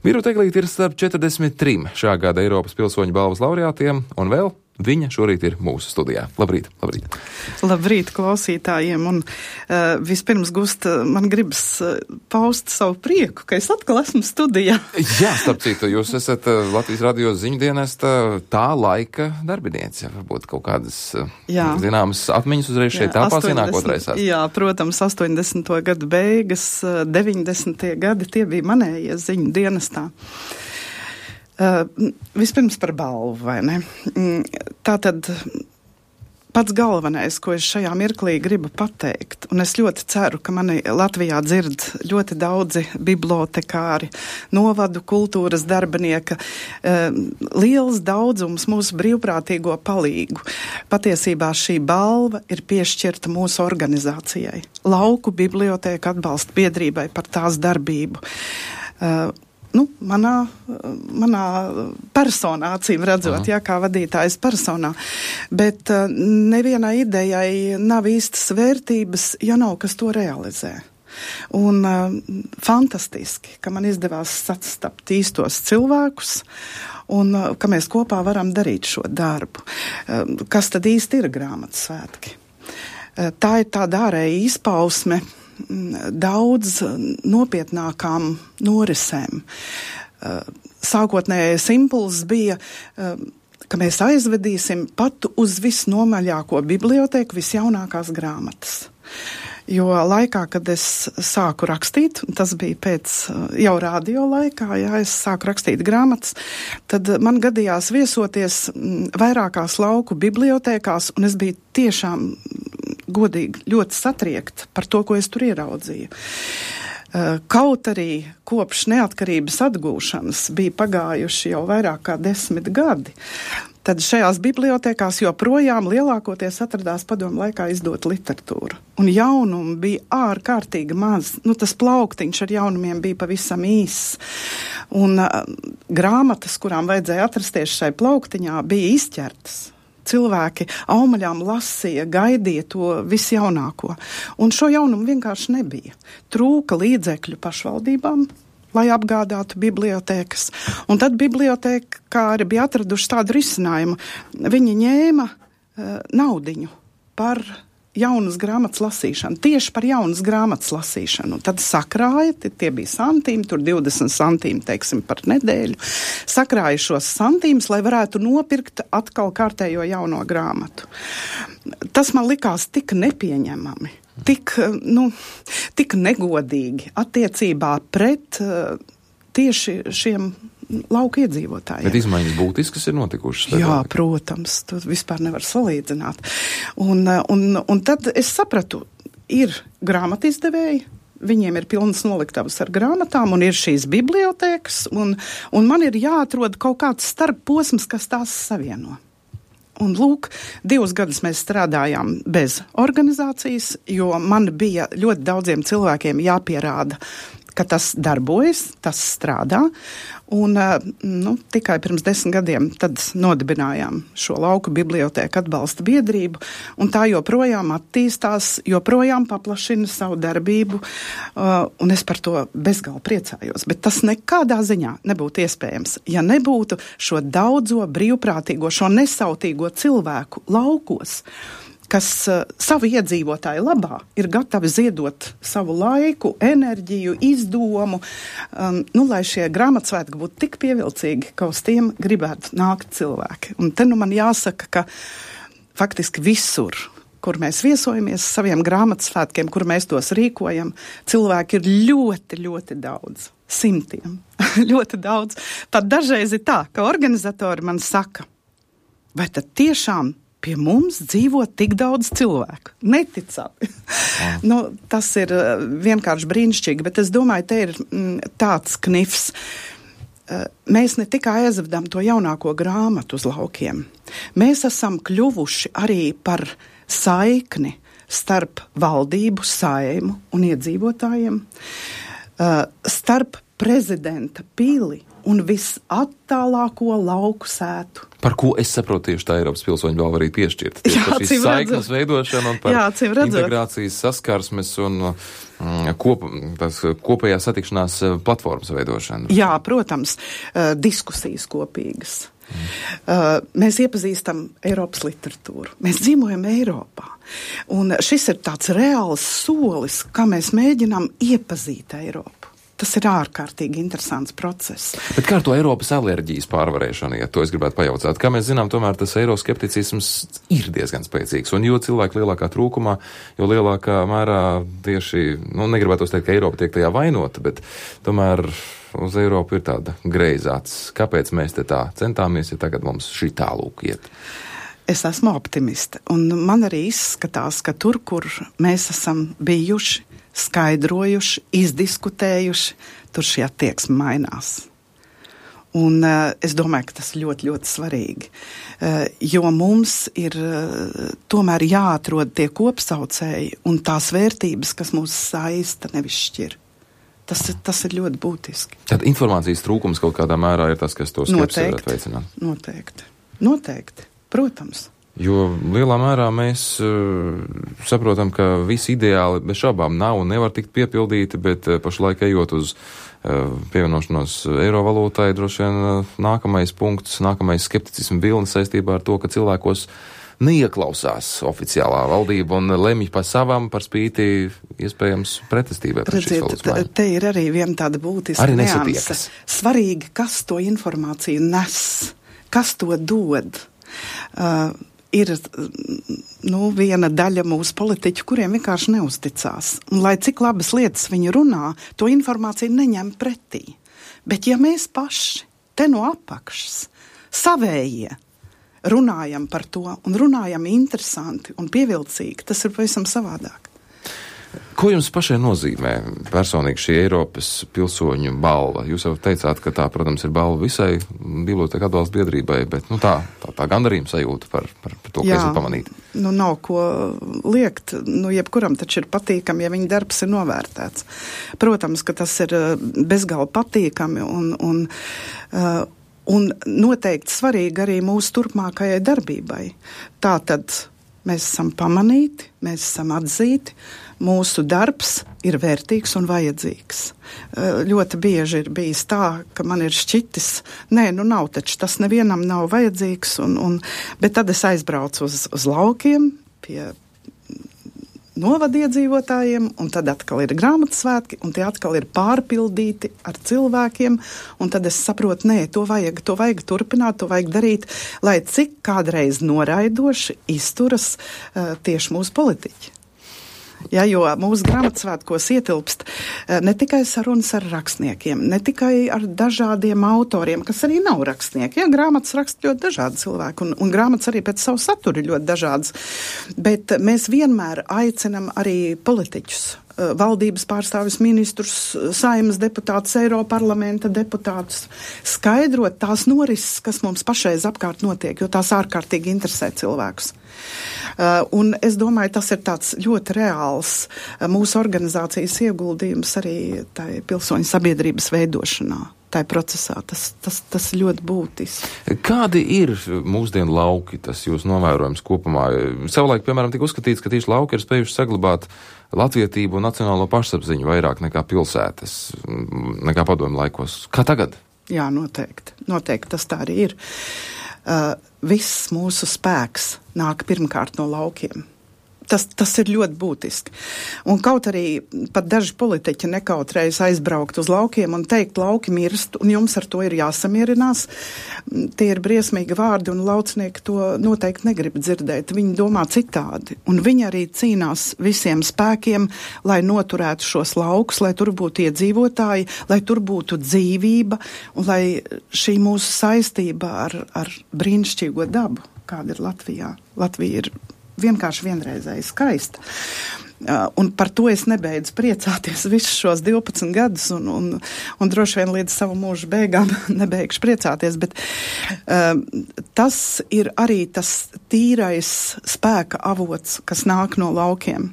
Birute Eglīte ir starp 43 šā gada Eiropas pilsoņu balvas laureātiem, un vēl viņa šorīt ir mūsu studijā. Labrīt, labrīt. Labrīt klausītājiem, un vispirms, Gust, man gribas paust savu prieku, ka es atkal esmu studijā. Jā, starp citu, jūs esat Latvijas radio ziņu dienesta tā laika darbiniece. Varbūt kaut kādas zināmas atmiņas uzreiz šeit tāpās ienākot reizās. Jā, protams, 80. gadu beigas, 90. gadi, tie bija manējie ziņu dienestā. Vispirms par balvu, vai ne? Tātad pats galvenais, ko es šajā mirklī gribu pateikt, un es ļoti ceru, ka mani Latvijā dzird ļoti daudzi bibliotekāri, novadu kultūras darbinieka, liels daudzums mūsu brīvprātīgo palīgu. Patiesībā šī balva ir piešķirta mūsu organizācijai, Lauku bibliotēku atbalsta biedrībai par tās darbību. Manā personā, acīm redzot, kā vadītājas personā, bet nevienai idejai nav īstas vērtības, ja nav kas to realizē. Un fantastiski, ka man izdevās sastapt īstos cilvēkus un ka mēs kopā varam darīt šo darbu. Kas tad īsti ir grāmatsvētki? Tā ir tāda ārēja izpausme daudz nopietnākām norisēm. Sākotnējais impulss bija, ka mēs aizvedīsim pat uz visnomaļāko bibliotēku visjaunākās grāmatas. Jo laikā, kad es sāku rakstīt, tas bija pēc jau radio laikā, es sāku rakstīt grāmatas, tad man gadījās viesoties vairākās lauku bibliotēkās, un es biju tiešām godīgi ļoti satriekta par to, ko es tur ieraudzīju. Kaut arī kopš neatkarības atgūšanas bija pagājuši jau vairāk kā 10 gadi, tad šajās bibliotēkās joprojām lielākoties atradās padomu laikā izdot literatūru. Un jaunumu bija ārkārtīgi maz. Tas plauktiņš ar jaunumiem bija pavisam īss. Un grāmatas, kurām vajadzēja atrasties šai plauktiņā, bija izķertas. Cilvēki aumaļām lasīja, gaidīja to visjaunāko. Un šo jaunumu vienkārši nebija. Trūka līdzekļu pašvaldībām, lai apgādātu bibliotēkas. Un tad bibliotekāri bija atraduši tādu risinājumu. Viņi ņēma naudiņu par jaunas grāmatas lasīšanu, tieši par jaunas grāmatas lasīšanu. Tad sakrāja, tie bija santīmi, tur 20 santīmi, teiksim, par nedēļu. Sakrāja šos santīmus, lai varētu nopirkt atkal kārtējo jauno grāmatu. Tas man likās tik nepieņemami, tik negodīgi attiecībā pret tieši šiem lauku iedzīvotājiem. Bet izmaiņas būtiskas ir notikušas? Jā, protams, to vispār nevar salīdzināt. Un tad es sapratu, ir grāmatizdevēji, viņiem ir pilnas noliktavas ar grāmatām, un ir šīs bibliotēkas, un man ir jāatrod kaut kāds starpposms, kas tās savieno. Un lūk, 2 gadus mēs strādājām bez organizācijas, jo man bija ļoti daudziem cilvēkiem jāpierāda, ka tas darbojas, tas strādā, un tikai pirms 10 gadiem tad nodibinājām šo lauku bibliotēku atbalsta biedrību, un tā joprojām attīstās, joprojām paplašina savu darbību, un es par to bezgalīgi priecājos, bet tas nekādā ziņā nebūtu iespējams, ja nebūtu šo daudzo brīvprātīgo, šo nesautīgo cilvēku laukos, kas savu iedzīvotāju labā ir gatavi ziedot savu laiku, enerģiju, izdomu, lai šie grāmatsvētki būtu tik pievilcīgi, ka uz tiem gribētu nākt cilvēki. Un te man jāsaka, ka faktiski visur, kur mēs viesojamies saviem grāmatsvētkiem, kur mēs tos rīkojam, cilvēki ir ļoti, ļoti daudz. Simtiem. Ļoti daudz. Pat dažreiz ir tā, ka organizatori man saka, vai tad tiešām pie mums dzīvo tik daudz cilvēku. Neticami. Tas ir vienkārši brīnišķīgi, bet es domāju, te ir tāds knifs. Mēs ne tikai aizvedam to jaunāko grāmatu uz laukiem. Mēs esam kļuvuši arī par saikni starp valdību, Saeimu un iedzīvotājiem, starp prezidenta pili un visattālāko lauku sētu. Par ko es saprotu tieši tā Eiropas pilsoņu balva arī piešķirta. Par šīs saiknes veidošanu un par integrācijas saskarsmes un kopējā satikšanās platformas veidošanu. Jā, protams, diskusijas kopīgas. Mēs iepazīstam Eiropas literatūru. Mēs dzīvojam Eiropā. Un šis ir tāds reāls solis, kā mēs mēģinām iepazīt Eiropu. Tas ir ārkārtīgi interesants process. Bet kā ar to Eiropas alerģijas pārvarēšanu, ja to es gribētu pajautāt? Kā mēs zinām, tomēr tas eiroskepticisms ir diezgan spēcīgs. Un jo cilvēki lielākā trūkumā, jo lielākā mērā tieši, negribētu teikt, ka Eiropa tiek tajā vainota, bet tomēr uz Eiropu ir tāda greizāts. Kāpēc mēs te tā centāmies, ja tagad mums šī tālūk iet? Es esmu optimiste, un man arī izskatās, ka tur, kur mēs esam bijuši, skaidrojuši, izdiskutējuši, tur šī attieksme mainās. Un es domāju, ka tas ļoti, ļoti svarīgi, jo mums ir tomēr jāatrod tie kopsaucēji un tās vērtības, kas mūs saista, nevis šķir. Tas ir ļoti būtiski. Tad informācijas trūkums kaut kādā mērā ir tas, kas to skepsi varētu veicināt? Noteikti. Protams. Jo lielā mērā mēs saprotam, ka visi ideāli bez šaubām nav un nevar tikt piepildīti, bet pašlaik ejot uz pievienošanos eiro valūtai, droši vien nākamais punkts, nākamais skepticismu vilnis saistībā ar to, ka cilvēkos neieklausās oficiālā valdība un lemj par savam, par spīti iespējams pretestībai pret šīs valūtas maiņu. Te ir arī viena tāda būtiska nianse. Svarīgi, kas to informāciju nes, kas to dod. Ir viena daļa mūsu politiķu, kuriem vienkārši neuzticās. Un, lai cik labas lietas viņi runā, to informāciju neņem pretī. Bet ja mēs paši te no apakšas savējie runājam par to un runājam interesanti un pievilcīgi, tas ir pavisam savādāk. Ko jums pašai nozīmē personīgi šī Eiropas pilsoņu balva? Jūs jau teicāt, ka tā, protams, ir balva visai bibliotēku atbalsta biedrībai, bet tā gandarījuma sajūta par to, ka esat pamanīti. Nav ko liekt. Jebkuram taču ir patīkami, ja viņa darbs ir novērtēts. Protams, ka tas ir bezgalīgi patīkami un noteikti svarīgi arī mūsu turpmākajai darbībai. Tātad mēs esam pamanīti, mēs esam atzīti, mūsu darbs ir vērtīgs un vajadzīgs. Ļoti bieži ir bijis tā, ka man ir šķitis, nav taču, tas nevienam nav vajadzīgs, bet tad es aizbraucu uz laukiem pie novadiedzīvotājiem, un tad atkal ir grāmatsvētki, un tie atkal ir pārpildīti ar cilvēkiem, un tad es saprotu, to vajag turpināt, to vajag darīt, lai cik kādreiz noraidoši izturas tieši mūsu politiķi. Ja, jo mūsu grāmatsvētkos ietilpst ne tikai sarunas ar rakstniekiem, ne tikai ar dažādiem autoriem, kas arī nav rakstnieki. Ja, grāmatas raksta ļoti dažādi cilvēki, un grāmatas arī pēc savu saturu ir ļoti dažādas. Bet mēs vienmēr aicinam arī politiķus, valdības pārstāvis, ministrus, Saeimas deputātus, Eiroparlamenta deputātus, skaidrot tās norises, kas mums pašreiz apkārt notiek, jo tās ārkārtīgi interesē cilvēkus. Un es domāju, tas ir tāds ļoti reāls mūsu organizācijas ieguldījums arī tai pilsoņu sabiedrības veidošanā, tai procesā. Tas ļoti būtiski. Kādi ir mūsdienu lauki, tas jūs novērojams kopumā? Savulaik, piemēram, tika uzskatīts, ka tieši lauki ir spējuši saglabāt latvietību un nacionālo pašapziņu vairāk nekā pilsētas, nekā padomju laikos. Kā tagad? Jā, noteikti tas tā arī ir. Viss mūsu spēks nāk pirmkārt no laukiem. Tas ir ļoti būtiski. Un kaut arī pat daži politiķi nekautrējas aizbraukt uz laukiem un teikt, lauki mirst, un jums ar to ir jāsamierinās. Tie ir briesmīgi vārdi, un laucinieki to noteikti negrib dzirdēt. Viņi domā citādi. Un viņi arī cīnās visiem spēkiem, lai noturētu šos laukus, lai tur būtu iedzīvotāji, lai tur būtu dzīvība, un lai šī mūsu saistība ar brīnišķīgo dabu, kāda ir Latvijā. Latvija ir vienkārši vienreizēji skaista. Un par to es nebeidzu priecāties visus šos 12 gadus un droši vien līdz savu mūžu beigām nebeigšu priecāties, bet tas ir arī tas tīrais spēka avots, kas nāk no laukiem.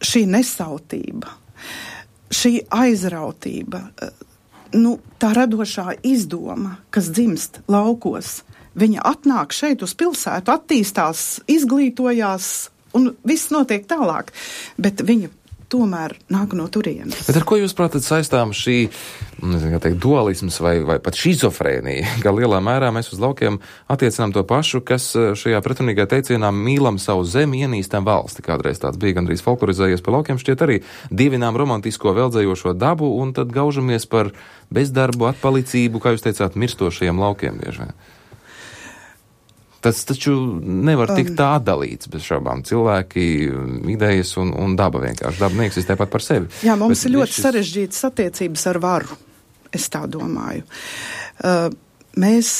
Šī nesautība, šī aizrautība, tā radošā izdoma, kas dzimst laukos, viņa atnāk šeit uz pilsētu, attīstās, izglītojās un viss notiek tālāk, bet viņa tomēr nāk no turienes. Bet ar ko jūs prātat saistām šī, nezinu, kā teikt, dualisms vai pat šizofrēnija, ka lielā mērā mēs uz laukiem attiecinām to pašu, kas šajā pretrunīgā teicienā mīlam savu zemi, ienīstam valsti. Kādreiz tāds bija gandrīz folklorizējies pa laukiem, šķiet arī dievinām romantisko veldzējošo dabu un tad gaužamies par bezdarbu, atpalicību, kā jūs teicāt, mirstošajiem laukiem bieži vien. Tas taču nevar tikt tā atdalīts bez šaubām. Cilvēki, idejas un daba vienkārši. Daba neeksistē pat par sevi. Jā, mums ir ļoti sarežģītas attiecības ar varu, es tā domāju. Mēs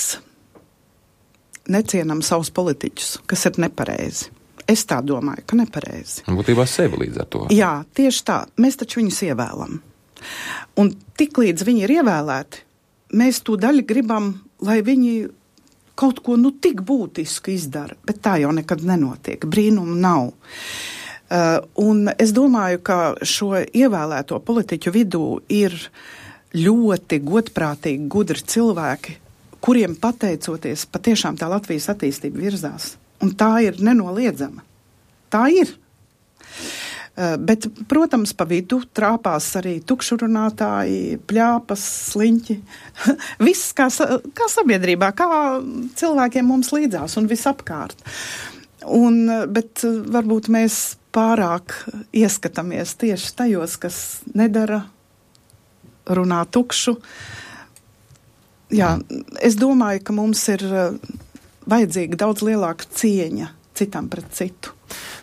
necienam savus politiķus, kas ir nepareizi. Es tā domāju, ka nepareizi. Būtībā sevi līdz ar to. Jā, tieši tā. Mēs taču viņus ievēlam. Un tik līdz viņi ir ievēlēti, mēs to daļu gribam, lai viņi kaut ko tik būtisku izdara, bet tā jau nekad nenotiek. Brīnumu nav. Un es domāju, ka šo ievēlēto politiķu vidū ir ļoti godprātīgi, gudri cilvēki, kuriem pateicoties patiešām tā Latvijas attīstība virzās. Un tā ir nenoliedzama. Tā ir. Bet, protams, pa vidu trāpās arī tukšurunātāji, pļāpas, sliņķi. Viss kā sabiedrībā, kā cilvēkiem mums līdzās un visapkārt. Bet varbūt mēs pārāk ieskatāmies tieši tajos, kas nedara, runā tukšu. Jā, es domāju, ka mums ir vajadzīga daudz lielāka cieņa citam pret citu.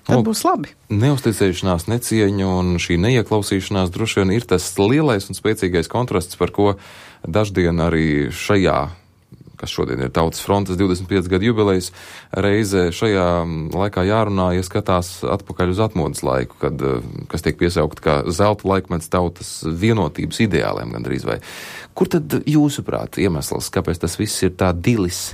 Tad būs labi. Neuzticēšanās, necieņa un šī neieklausīšanās droši vien ir tas lielais un spēcīgais kontrasts, par ko daždien arī šajā, kas šodien ir Tautas frontes 25 gadu jubilejas reize, šajā laikā jārunā, ja skatās atpakaļ uz atmodas laiku, kas tiek piesaukt kā zelta laikmets tautas vienotības ideāliem gandrīz vai. Kur tad jūsuprāt iemesls, kāpēc tas viss ir tā dilis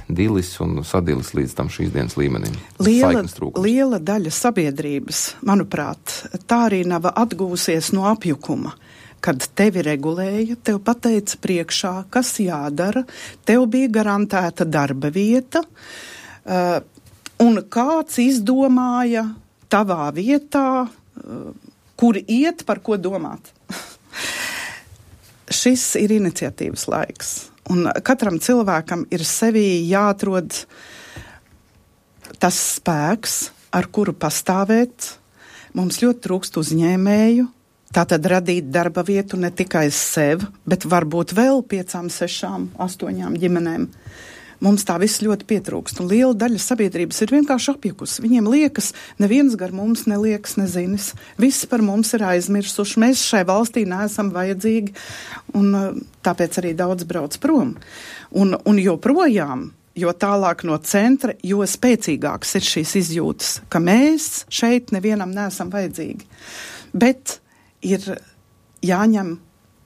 un sadilis līdz tam šīs dienas līmenim? Liela daļa sabiedrības, manuprāt, tā arī nav atgūsies no apjukuma. Kad tevi regulēja, tev pateica priekšā, kas jādara, tev bija garantēta darba vieta, un kāds izdomāja tavā vietā, kur iet, par ko domāt. Šis ir iniciatīvas laiks, un katram cilvēkam ir sevī jāatrod tas spēks, ar kuru pastāvēt. Mums ļoti trūkst uzņēmēju, tātad radīt darba vietu ne tikai sev, bet varbūt vēl 5, 6, 8 ģimenēm. Mums tā viss ļoti pietrūkst, un liela daļa sabiedrības ir vienkārši apjukusi. Viņiem liekas, neviens gar mums neliekas, nezinis. Visi par mums ir aizmirsuši, mēs šai valstī neesam vajadzīgi, un tāpēc arī daudz brauc prom. Un joprojām, jo tālāk no centra, jo spēcīgāks ir šīs izjūtas, ka mēs šeit nevienam neesam vajadzīgi. Bet ir jāņem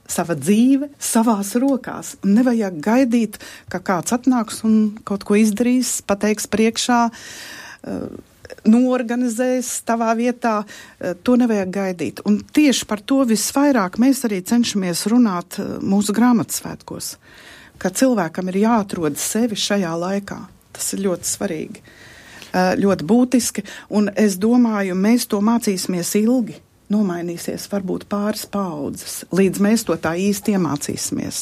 sava dzīve savās rokās. Nevajag gaidīt, ka kāds atnāks un kaut ko izdarīs, pateiks priekšā, noorganizēs tavā vietā. To nevajag gaidīt. Un tieši par to visvairāk mēs arī cenšamies runāt mūsu grāmatsvētkos, ka cilvēkam ir jāatrod sevi šajā laikā. Tas ir ļoti svarīgi, ļoti būtiski, un es domāju, mēs to mācīsimies ilgi. Nomainīsies varbūt pāris paaudzes, līdz mēs to tā īsti iemācīsimies.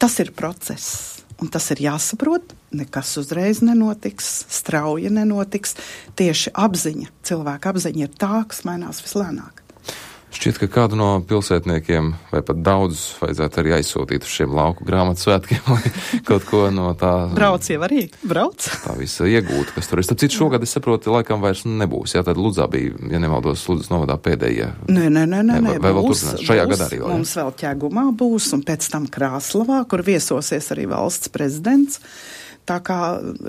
Tas ir process, un tas ir jāsaprot, nekas uzreiz nenotiks, strauji nenotiks. Tieši apziņa, cilvēka apziņa ir tā, kas mainās vislēnāk. Šķiet, ka kādu no pilsētniekiem, vai pat daudzus, vajadzētu arī aizsūtīt uz šiem lauku grāmatsvētkiem, lai kaut ko no tā... Brauc jau arī, brauc. Tā visa iegūt, kas tur ir. Starp citu, šogad, es saprotu, laikam vairs nebūs. Jā, tad Ludzā bija, ja nemaldos, Ludzas novadā pēdējie. Nē, vai vēl turpinās? Šajā gadā arī vēl. Mums vēl Ķegumā būs, un pēc tam Krāslavā, kur viesosies arī valsts prezidents. tā kā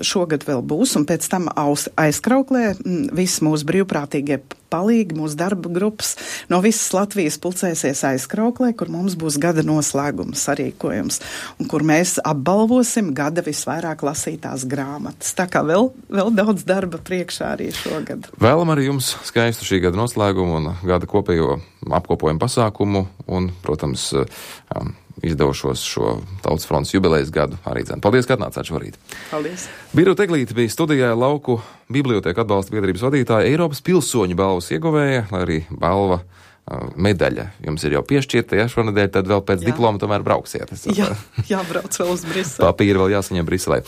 šogad vēl būs, un pēc tam aizkrauklē visi mūsu brīvprātīgie palīgi, mūsu darba grupas no visas Latvijas pulcēsies aizkrauklē, kur mums būs gada noslēguma sarīkojums, un kur mēs apbalvosim gada visvairāk lasītās grāmatas. Tā kā vēl daudz darba priekšā arī šogad. Vēlam arī jums skaistu šī gada noslēgumu un gada kopējo apkopojumu pasākumu un, protams, izdevušos šo Tautas frontes jubilejas gadu arī dzēn. Paldies, ka atnācāt šorīt. Paldies. Birute Eglīte bija studijā Lauku bibliotēku atbalsta biedrības vadītāja, Eiropas pilsoņu balvas ieguvēja, lai arī balva medaļa jums ir jau piešķirta, ja šonedēļ, tad vēl pēc diploma tomēr brauksiet. Jā, jābrauc vēl uz Briseli. Papīri vēl jāsaņem Briselē.